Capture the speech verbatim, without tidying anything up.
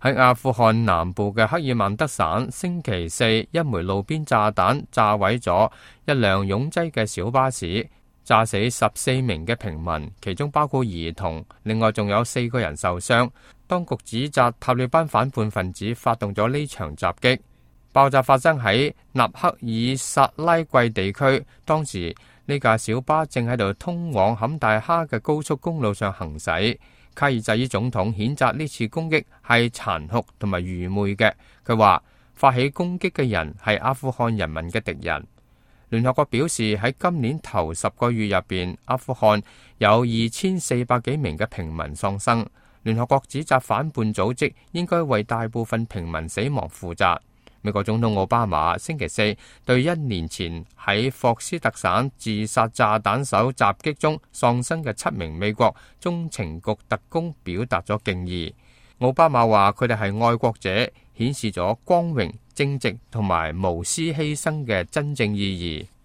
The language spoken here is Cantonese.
喺阿富汗南部嘅克爾曼德省，星期四一枚路邊炸彈炸毀咗一輛擁擠嘅小巴士，炸死十四名嘅平民，其中包括兒童，另外仲有四個人受傷。當局指責塔利班反叛分子發動咗呢場襲擊。爆炸發生喺納克爾薩拉季地區，當時呢架小巴正喺度通往坎大哈嘅高速公路上行駛。卡爾扎伊總統譴責呢次攻擊係殘酷同埋愚昧嘅，佢話發起攻擊嘅人係阿富汗人民嘅敵人。聯合國表示喺今年頭十個月入邊，阿富汗有二千四百幾名嘅平民喪生。聯合國指責反叛組織應該為大部分平民死亡負責。美國總統奧巴馬星期四對一年前喺霍斯特省自殺炸彈手襲擊中喪生嘅七名美國中情局特工表達咗敬意。奧巴馬話佢哋係愛國者，顯示咗光榮、正直同埋無私犧牲嘅真正意義。